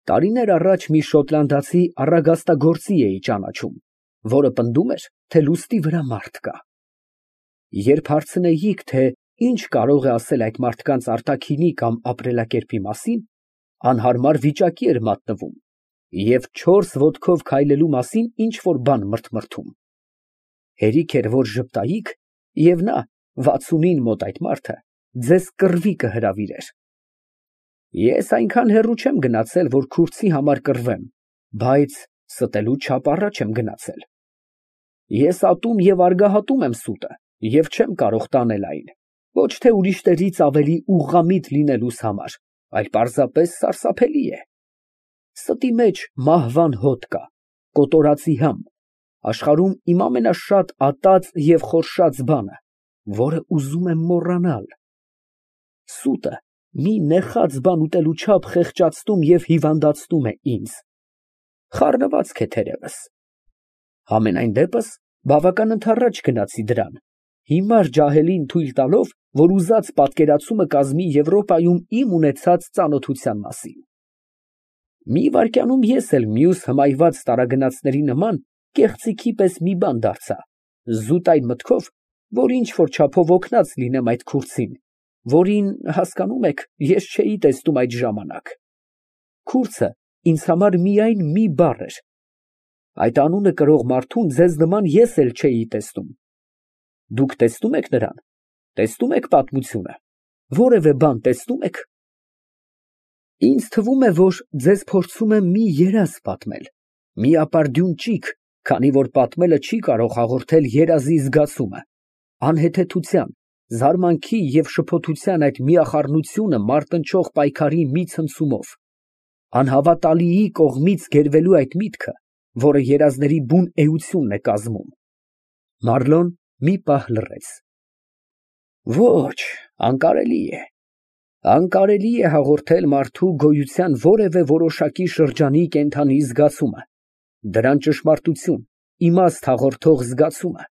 Տարիներ առաջ մի շոտլանդացի առագաստագործի էի ճանաչում, որը պնդում էր, թե լուստի վրա մարդ կա։ Երբ հարցնեիք, թե ինչ կարող է ասել այդ մարդկանց արտաքինի կամ ապրելակերպի մասին, անհարմար վիճակի էր մատնվում և 4 ոտքով քայլելու մասին ինչ֊որ բան մրթմրթում։ Հերիք էր, որ ժպտայիք, և նա, 60-ին մոտ այդ մարդը, ձեզ կռվի կհրավիրեր։ Ես այնքան հեռու չեմ գնացել, որ քուրդի համար կռվեմ, բայց ստելու չափ առաջ եմ գնացել։ Ես ատում և արգահատում եմ սուտը և չեմ կարող տանել այն, ոչ թե ուրիշներից ավելի ուղղամիտ լինելուս համար, այլ պարզապես սարսափելի է։ Ստի մեջ մահվան հոտ կա, կոտորածի համ, աշխարհում իմ ամենաշատ ատած և խորշած բանը, որը ուզում եմ մոռանալ։ Սուտը մի նեխած բան ուտելու չափ խեղճացնում և հիվանդացնում է ինձ։ Խառնված է թերևս։ Համենայն դեպս, բավական ընդառաջ գնացի դրան, հիմար ջահելին թույլ տալով, որ ուզած պատկերացումը կազմի Եվրոպայում իմ ունեցած ծանոթության մասին։ Մի վայրկյանում ես էլ մյուս հմայված տարագնացների նման կեղծիքի պես մի բան դարձա, զուտ այն մտքով, որ ինչ֊որ չափով օգնած լինեմ այդ քուրդին, որին, հասկանում եք, ես չէի տեսնում այդ ժամանակ։ Քուրդը ինձ համար միայն մի բառ էր։ Այդ անունը կրող մարդուն ձեզ նման ես էլ չէի տեսնում։ Դուք տեսնո՞ւմ եք նրան, տեսնում եք պատմությունը, որևէ բան տեսնո՞ւմ եք։ Ինձ թվում է, որ ձեզ փորձում եմ մի երազ պատմել, մի ապարդյուն ճիգ, քանի որ պատմելը չի կարող հաղորդել երազի զգացումը, անհեթեթության, զարմանքի և շփոթության այդ միախառնությունը մարտնչող պայքարի մի ցնցումով, անհավատալիի կողմից գերվելու այդ միտքը, որը երազների բուն էությունն է կազմում։ Մարլոն մի պահ լռեց։ Ոչ, անկարելի է։ Անկարելի է հաղորդել մարդու գոյության որևէ որոշակի շրջանի կենդանի զգացումը, դրան ճշմարտություն, իմաստ հաղորդող զգացումը,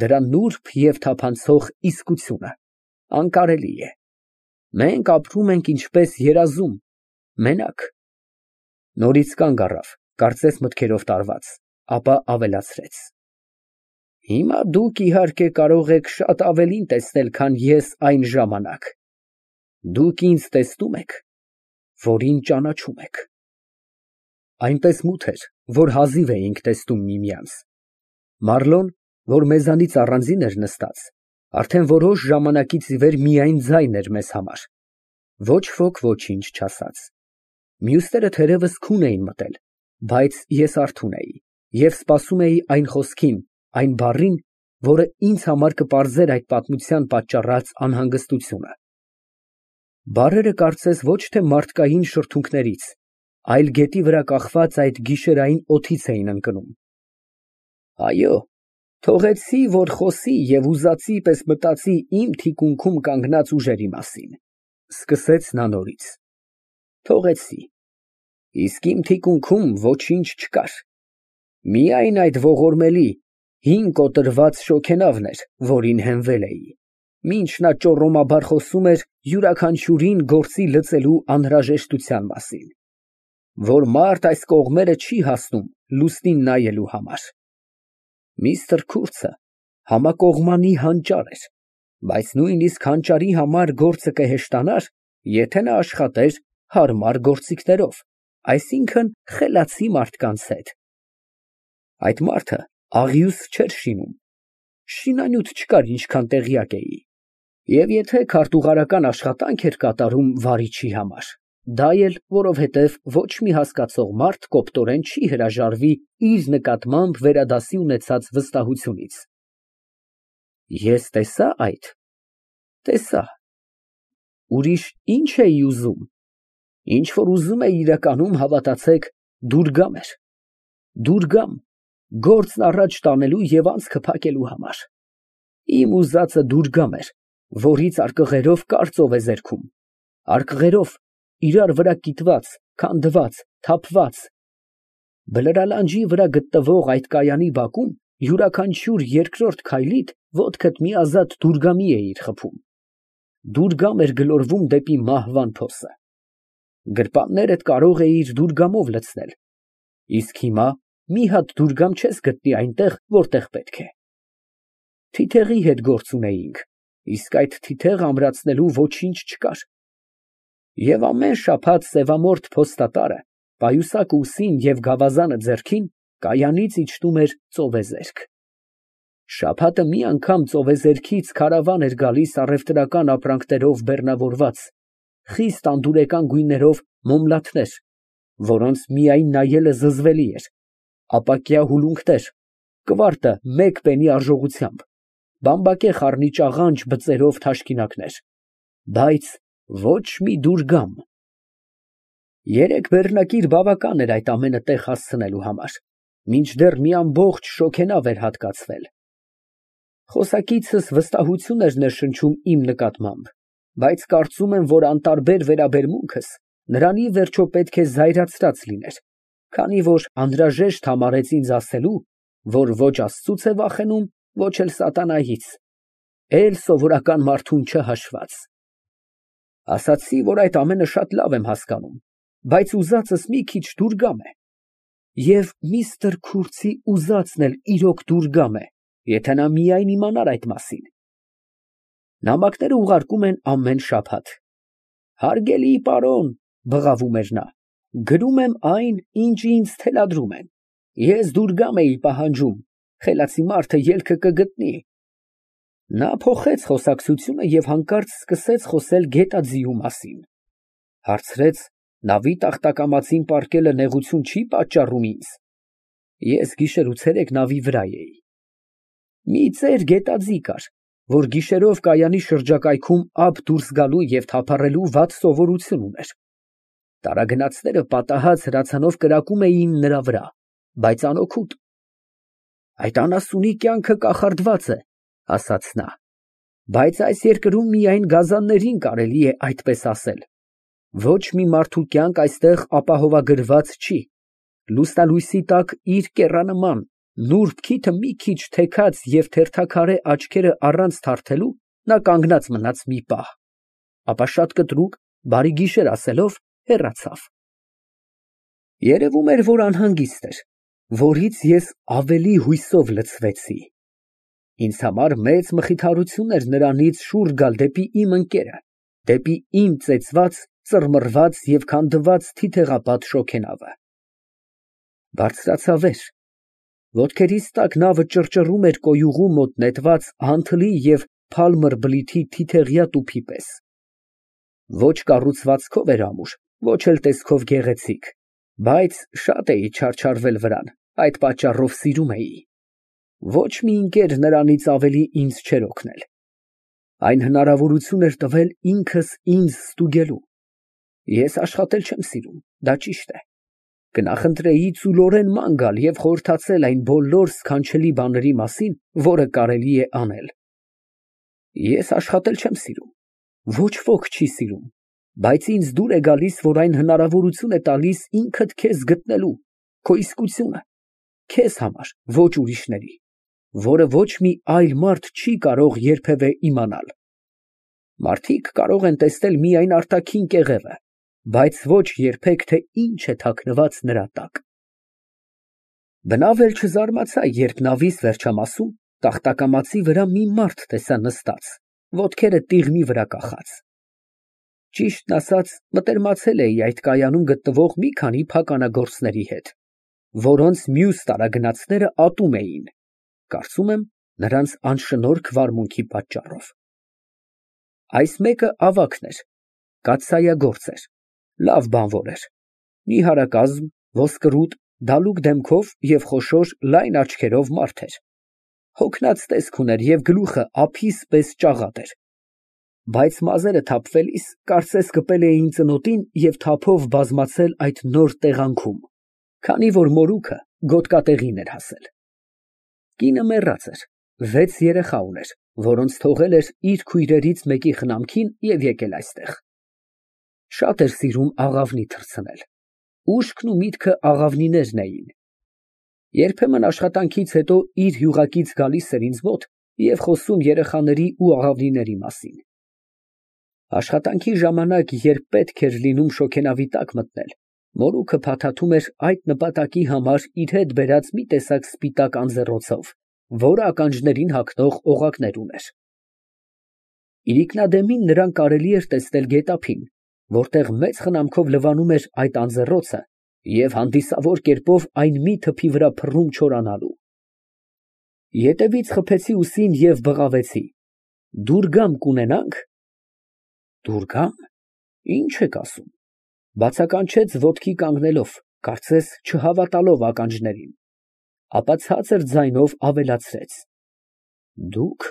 դրա նուրբ և թափանցող իսկությունը։ Անկարելի է։ Մենք ապրում ենք ինչպես երազում, մենակ։ Նորից կանգ առավ, կարծես մտքերով տարված, ապա ավելացրեց. Հիմա դուք իհարկե կարող եք շատ ավելին տեսնել, քան ես այն ժամանակ։ Դուք ինձ տեսնում եք, որին ճանաչում եք։ Այնպես մութ էր, որ հազիվ էինք տեսնում միմյանց։ Մարլոն, որ մեզանից առանձին էր նստած, արդեն որոշ ժամանակից ի վեր միայն ձայն էր մեզ համար, ոչ ոք ոչինչ չասաց։ Մյուսները թերևս քուն էին մտել, բայց ես արթուն էի և սպասում էի այն խոսքին, այն բառին, որը ինձ համար կպարզեր այդ պատմության պատճառած անհանգստությունը։ Բառերը կարծես ոչ թե մարդկային շրթունքներից, այլ գետի վրա կախված այդ գիշերային օդից էին ընկնում։ Այո, թողեցի, որ խոսի և ուզածի պես մտածի իմ թիկունքում կանգնած ուժերի մասին, սկսեց նա նորից։ Թողեցի, իսկ իմ թիկունքում ոչինչ չկար, միայն այդ ողորմելի, հին կոտրված շոգենավն էր, որին հենվել էի, մինչ նա ճոռոմաբար խոսում էր յուրաքանչյուրին գործի լծելու անհրաժեշտության մասին, որ մարդ այս կողմերը չի հասնում լուսնին նայելու համար։ Միստր Քուրցը համակողմանի հանճար էր, բայց նույնիսկ հանճարի համար գործը կհեշտանար, եթե նա աշխատեր հարմար գործիքներով, այսինքն խելացի մարդկանց հետ։ Այդ մարդը աղյուս չէր շինում, շինանյութ չկար, ինչքան տեղյակ էի, և եթե քարտուղարական աշխատանք էր կատարում վարիչի համար, դա էլ որովհետև ոչ մի հասկացող մարդ կոպտորեն չի հրաժարվի իր նկատմամբ վերադասի ունեցած վստահությունից։ Ես տեսա այդ, տեսա։ Ուրիշ ի՞նչ էի ուզում։ Ինչ որ ուզում էի իրականում, հավատացեք, դուրգամ էր։ Դուրգամ, գործն առաջ տանելու և անցքը փակելու համար։ Իմ ուզածը դուրգամ էր, որից արկղերով կարծով է զերքում, արկղերով իրար վրա կիտված, քանդված, թափված։ Բլրալանջի վրա գտնվող այդ կայանի բակում յուրաքանչյուր երկրորդ քայլիդ ոտքդ մի ազատ դուրգամի էիր խփում։ Դուրգամ էր գլորվում դեպի մահվան փոսը։ Գրպաններդ կարող էիր դուրգամով լցնել, իսկ հիմա մի հատ դուրգամ չես գտնի այնտեղ, որտեղ պետք է։ Թիթեղի հետ գործ ունեինք, իսկ այդ թիթեղ ամրացնելու ոչինչ չկար։ Եվ ամեն շաբաթ սևամորթ փոստատարը, պայուսակը ուսին և գավազանը ձեռքին, կայանից իջնում էր ծովեզերք։ Շաբաթը մի անգամ ծովեզերքից քարավան էր գալիս առևտրական ապրանքներով բեռնավորված, խիստ անդուրեկան գույներով մոմլաթներ, որոնց միայն նայելը զզվելի էր, ապակյա հուլունքներ, կվարտը մեկ պենի արժողությամբ, բամբակե խառնիճաղանճ բծերով թաշկինակներ, բայց ոչ մի դուրգամ։ Երեք բեռնակիր բավական էր այդ ամենը տեղ հասցնելու համար, մինչդեռ մի ամբողջ շոգենավ էր հատկացվել։ Խոսակիցս վստահություն էր ներշնչում իմ նկատմամբ, բայց կարծում եմ, որ անտարբեր վերաբերմունքս նրան ի վերջո պետք է զայրացրած լիներ, քանի որ անհրաժեշտ համարեց ինձ ասելու, որ ոչ Աստծուց է վախենում, ոչ էլ սատանայից, էլ սովորական մարդուն չհաշված։ Ասացի, որ այդ ամենը շատ լավ եմ հասկանում, բայց ուզածս մի քիչ դուրգամ է, և միստր Քուրցի ուզածն էլ իրոք դուրգամ է, եթե նա միայն իմանար այդ մասին։ Նամակները ուղարկում են ամեն շաբաթ։ Հարգելի պարոն, բղավում էր նա, գրում եմ այն, ինչ ինձ թելադրում են։ Ես դուրգամ էի պահանջում, խելացի մարդը ելքը կգտնի։ Նա փոխեց խոսակցությունը և հանկարծ սկսեց խոսել գետաձիու մասին։ Հարցրեց, նավի տախտակամածին պառկելը նեղություն չի պատճառում ինձ։ Ես գիշեր ու ցերեկ նավի վրա էի։ Մի ծեր գետաձի կար, որ գիշերով կայանի շրջակայքում ափ դուրս գալու և թափառելու վատ սովորություն ուներ։ Տարագնացները պատահած հրացանով կրակում էին նրա վրա, բայց անօգուտ։ Այդ անասունի կյանքը կախարդված է, ասաց նա, բայց այս երկրում միայն գազաններին կարելի է այդպես ասել։ Ոչ մի մարդու կյանք այստեղ ապահովագրված չի։ Լուսնալույսի տակ իր կեռանման, նուրբ քիթը մի քիչ թեքած և թերթաքարե աչքերը առանց թարթելու, նա կանգնած մնաց մի պահ, ապա շատ կտրուկ բարի գիշեր ասելով, հեռացավ։ Երևում էր, որ անհանգիստ էր, որից ես ավելի հույսով լցվեցի։ Ինձ համար մեծ մխիթարություն էր նրանից շուռ գալ դեպի իմ ընկերը, դեպի իմ ծեծված, ծռմռված և քանդված թիթեղապատ շոգենավը։ Բարձրացա վեր։ Ոտքերիս տակ նավը ճռճռում էր կոյուղու մոտ նետված անթլի և փալմր բլիթի թիթեղյա տուփի պես։ Ոչ կառուցվածքով էր ամուր, ոչ էլ տեսքով գեղեցիկ, բայց շատ էի չարչարվել վրան, այդ պատճառով սիրում էի։ Ոչ մի ընկեր նրանից ավելի ինձ չէր օգնել։ Այն հնարավորություն էր տվել ինքս ինձ ստուգելու։ Ես աշխատել չեմ սիրում, դա ճիշտ է։ Կնախընտրեի ծուլորեն ման գալ և խորհրդացել այն բոլոր սքանչելի բաների մասին, որը կարելի է անել։ Ես աշխատել չեմ սիրում, ոչ ոք չի սիրում, բայց ինձ դուր է գալիս, որ այն հնարավորություն է տալիս ինքդ քեզ գտնելու, քո իսկությունը, քեզ համար, ոչ ուրիշների, որը ոչ մի այլ մարդ չի կարող երբևէ իմանալ։ Մարդիկ կարող են տեսնել միայն արտաքին կեղևը, բայց ոչ երբեք, թե ինչ է թաքնված նրա տակ։ Բնավ էլ չզարմացա, երբ նավիս վերջամասում տախտակամածի վրա մի մարդ տեսա նստած, ոտքերը տիղմի վրա կախած։ Ճիշտն ասած, մտերմացել էի այդ կայանում գտնվող մի քանի փականագործների հետ, որոնց մյուս տարագնացները ատում էին, կարծում եմ, նրանց անշնորհք վարմունքի պատճառով։ Այս մեկը ավագն էր, կաթսայագործ էր, լավ բանվոր էր, նիհարակազմ, ոսկրուտ, դալուկ դեմքով և խոշոր լայն աչքերով մարդ էր։ Հոգնած տեսք ուներ և գլուխը ափիս պես ճաղատ էր, բայց մազերը թափվելիս կարծես կպել էին ծնոտին և թափով բազմացել այդ նոր տեղանքում, քանի որ մորուքը գոտկատեղին էր հասել։ Կինը մեռած էր, 6 երեխա ուներ, որոնց թողել էր իր քույրերից մեկի խնամքին և եկել այստեղ։ Շատ էր սիրում աղավնի թռցնել։ Ուշքն ու միտքը աղավնիներն էին։ Երբեմն աշխատանքից հետո իր յուղակից գալիս էր ինձ մոտ և խոսում երեխաների ու աղավնիների մասին։ Աշխատանքի ժամանակ, երբ պետք էր լինում շոգենավի տակ մտնել, մորուքը փաթաթում էր այդ նպատակի համար իր հետ բերած մի տեսակ սպիտակ անձեռոցով, որը ականջներին հագնող օղակներ ուներ։ Իրիկնադեմին նրան կարելի էր տեսնել գետափին, որտեղ մեծ խնամքով լվանում էր այդ անձեռոցը և հանդիսավոր կերպով այն մի թփի վրա փռում չորանալու։ Ետևից խփեցի ուսին և բղավեցի. «Դուրգամ կունենա՞նք»։ «Դուրգամ, ի՞նչ եք ասում», բացականչեց ոտքի կանգնելով, կարծես չհավատալով ականջներին, ապա ցածր ձայնով ավելացրեց. «Դուք,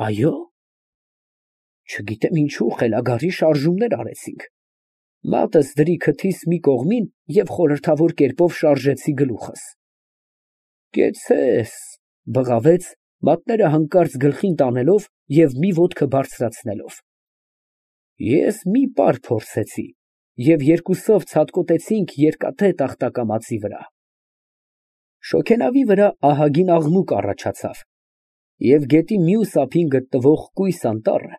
այո՞։ Չգիտեմ ինչու խելագարի շարժումներ արեցինք։ Մատս դրի քթիս մի կողմին և խորհրդավոր կերպով շարժեցի գլուխս»։ «Կեցցես», բղավեց, մատները հանկարծ գլխին տանելով և մի ոտքը բարձրացնելով։ Ես մի պար փորձեցի և երկուսով ցատկոտեցինք երկաթե տախտակամածի վրա։ Շոգենավի վրա ահագին աղմուկ առաջացավ, և գետի մյուս ափին գտնվող կույս անտառը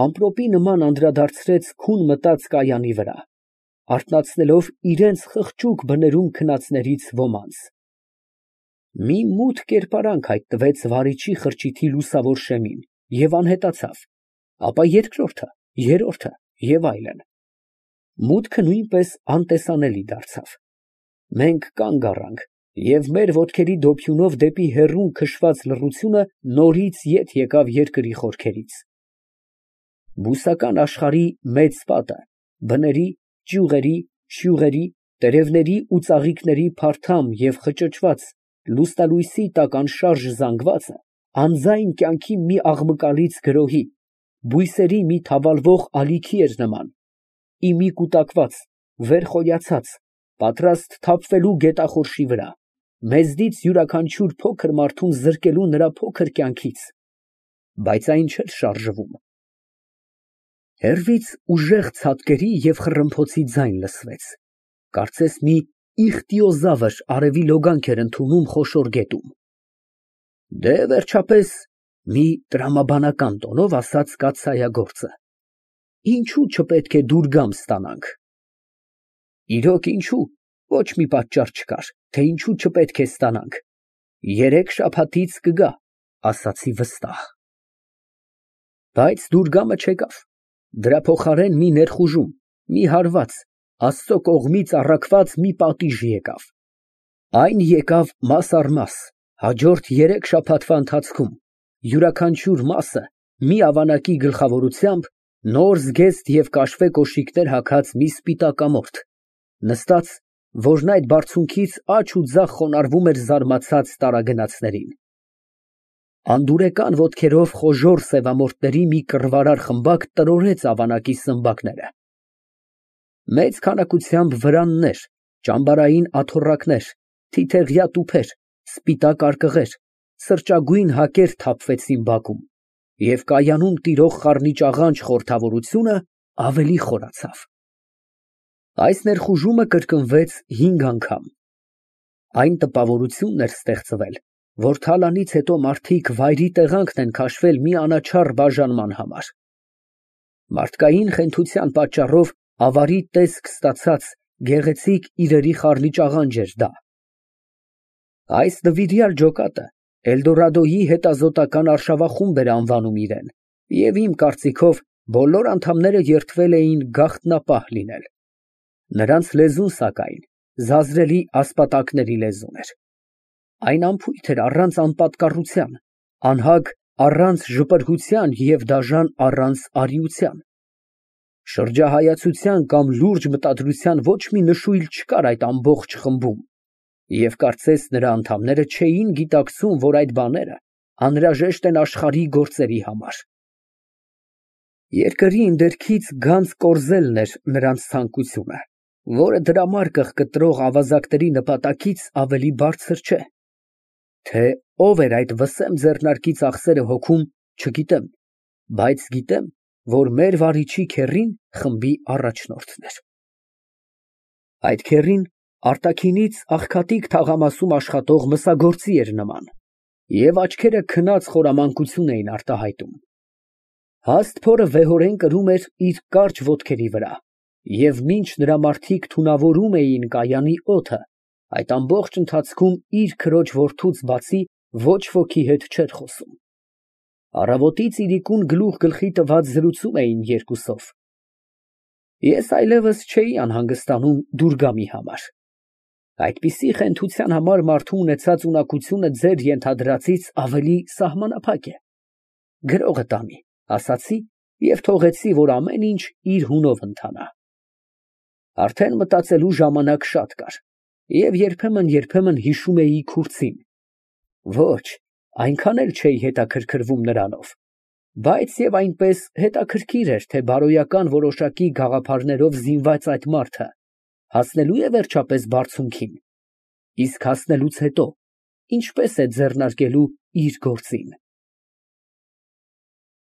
ամպրոպի նման անդրադարձրեց քուն մտած կայանի վրա, արթնացնելով իրենց խղճուկ բներում քնածներից ոմանց։ Մի մութ կերպարանք հայտնվեց վարիչի խրճիթի լուսավոր շեմին և անհետացավ, ապա երկրորդը, երրորդը և այլն։ Մուտքը նույնպես անտեսանելի դարձավ։ Մենք կանգ առանք, և մեր ոտքերի դոփյունով դեպի հեռուն քշված լռությունը նորից ետ եկավ երկրի խորքերից։ Բուսական աշխարհի մեծ պատը, բների, ճյուղերի, շյուղերի, տերևների ու ծաղիկների փարթամ և խճճված, լուսնալույսի տակ անշարժ զանգվածը անձայն կյանքի մի աղմկալից գրոհի, բույսերի մի թավալվող ալիքի էր նման, ի մի կուտակված, վեր խոյացած, պատրաստ թափվելու գետախորշի վրա, մեզնից յուրաքանչյուր փոքր մարդուն զրկելու նրա փոքր կյանքից, բայց այն չէր շարժվում։ Հեռվից ուժեղ ցատկերի և խռմփոցի ձայն լսվեց, կարծես մի իխտիոզավր արևի լոգանք էր ընդունում խոշոր գետում։ Դե, վերջապես, մի տրամաբանական տոնով ասաց կաթսայագործը, ինչո՞ւ չպետք է դուրգամ ստանանք։ Իրոք ինչո՞ւ, ոչ մի պատճառ չկար, թե ինչու չպետք է ստանանք, 3 շաբաթից կգա, ասացի վստահ։ Բայց դուրգամը չեկավ, դրա փոխարեն մի ներխուժում, մի հարված, Աստծո կողմից առաքված մի պատիժ եկավ։ Այն եկավ մաս առ մաս, հաջորդ 3 շաբաթվա ընթացքում, յուրաքանչյուր մասը մի ավանակի գլխավորությամբ նոր զգեստ և կաշվե կոշիկներ հագած մի սպիտակամորթ, նստած, որն այդ բարձունքից աջ ու ձախ խոնարհվում էր զարմացած տարագնացներին։ Անդուրեկան ոտքերով խոժոռ սևամորթների մի կռվարար խմբակ տրորեց ավանակի սմբակները։ Մեծ քանակությամբ վրաններ, ճամբարային աթոռակներ, թիթեղյա տուփեր, սպիտակ արկղեր, սրճագույն հակեր թափվեցին բակում, և կայանում տիրող խառնիճաղանճ խորհրդավորությունը ավելի խորացավ։ Այս ներխուժումը կրկնվեց 5 անգամ։ Այն տպավորությունն էր ստեղծվել, որ թալանից հետո մարդիկ վայրի տեղանքն են քաշվել մի անաչառ բաժանման համար։ Մարդկային խենթության պատճառով ավարի տեսք ստացած գեղեցիկ իրերի խառնիճաղանճ էր դա։ Այս նվիրյալ ջոկատը Էլդորադոյի հետազոտական արշավախումբ էր անվանում իրեն, և իմ կարծիքով բոլոր անդամները երդվել էին գաղտնապահ լինել։ Նրանց լեզուն, սակայն, զազրելի ասպատակների լեզուն էր։ Այն անփույթ էր առանց անպատկառության, անհագ առանց ժպրհության և դաժան առանց արիության։ Շրջահայացության կամ լուրջ մտադրության ոչ մի նշույլ չկար այդ ամբողջ խմբում, և կարծես նրա անդամները չէին գիտակցում, որ այդ բաները անհրաժեշտ են աշխարհի գործերի համար։ Երկրի ընդերքից գանձ կորզելն էր նրանց ցանկությունը, որը դրամարկղ կտրող ավազակների նպատակից ավելի բարձր չէ։ Թե ով էր այդ վսեմ ձեռնարկի ծախսերը հոգում, չգիտեմ, բայց գիտեմ, որ մեր վարիչի քեռին խմբի առաջնորդն էր։ Այդ քեռին արտաքինից աղքատիկ թաղամասում աշխատող մսագործի էր նման, և աչքերը քնած խորամանկություն էին արտահայտում։ Հաստ փորը վեհորեն կրում էր իր կարճ ոտքերի վրա, և մինչ նրա մարդիկ թունավորում էին կայանի օդը, այդ ամբողջ ընթացքում իր քրոջ որդուց բացի ոչ ոքի հետ չէր խոսում։ Առավոտից իրիկուն գլուխ գլխի տված զրուցում էին երկուսով։ Ես այլևս չէի անհանգստանում դուրգամի համար։ Այդպիսի խենթության համար մարդու ունեցած ունակությունը ձեր ենթադրածից ավելի սահմանափակ է։ Գրողը տանի, ասացի և թողեցի, որ ամեն ինչ իր հունով ընթանա։ Արդեն մտածելու ժամանակ շատ կար, և երբեմն հիշում էի քուրձին։ Ոչ, այնքան էլ չէի հետաքրքրվում նրանով, բայց և այնպես հետաքրքիր էր, թե բարոյական որոշակի գաղափարներով զինված այդ մարդը հասնելո՞ւ է վերջապես բարձունքին, իսկ հասնելուց հետո ինչպես է ձեռնարկելու իր գործին։